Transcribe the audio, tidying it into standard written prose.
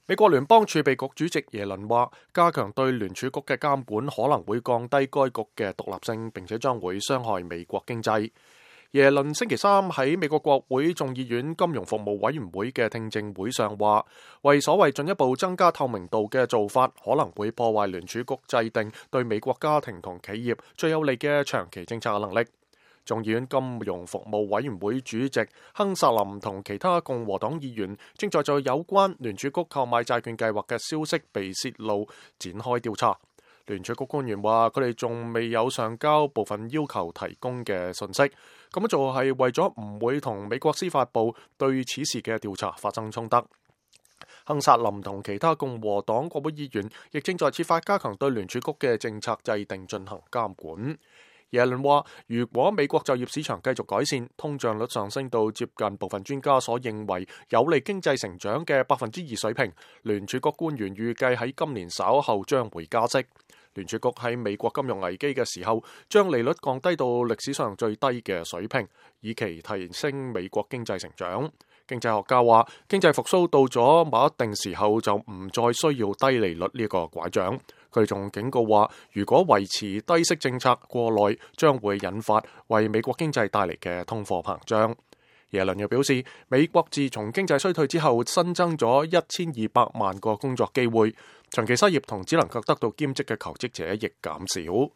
美國聯邦儲備局主席耶倫話，加強對聯儲局嘅監管可能會降低該局嘅獨立性，並且將會傷害美國經濟。耶倫星期三喺美國國會眾議院金融服務委員會嘅聽證會上話，為所謂進一步增加透明度嘅做法，可能會破壞聯儲局制定對美國家庭同企業最有利嘅長期政策嘅能力。眾議院金融服務委員會主席亨薩林同其他共和黨議員正在就有關聯儲局購買債券計劃嘅消息被洩露展開調查。聯儲局官員話，佢哋仲未有上交部分要求提供嘅信息，咁樣做係為咗唔會同美國司法部對此事嘅調查發生衝突。亨薩林同其他共和黨國會議員亦正在設法加強對聯儲局嘅政策制定進行監管。耶倫話，如果美國就業市場繼續改善，通脹率上升到接近部分專家所認為有利經濟成長嘅2%水平，聯儲局官員預計喺今年稍後將會加息。聯儲局喺美國金融危機嘅時候，將利率降低到歷史上最低嘅水平，以期提升美國經濟成長。經濟學家話，經濟復甦到咗某一定時候，就唔再需要低利率呢個拐杖。佢仲警告話，如果維持低息政策過耐，將會引發為美國經濟帶嚟嘅通貨膨脹。耶倫又表示，美國自從經濟衰退之後，新增咗1200萬個工作機會，長期失業同只能夠得到兼職嘅求職者亦減少。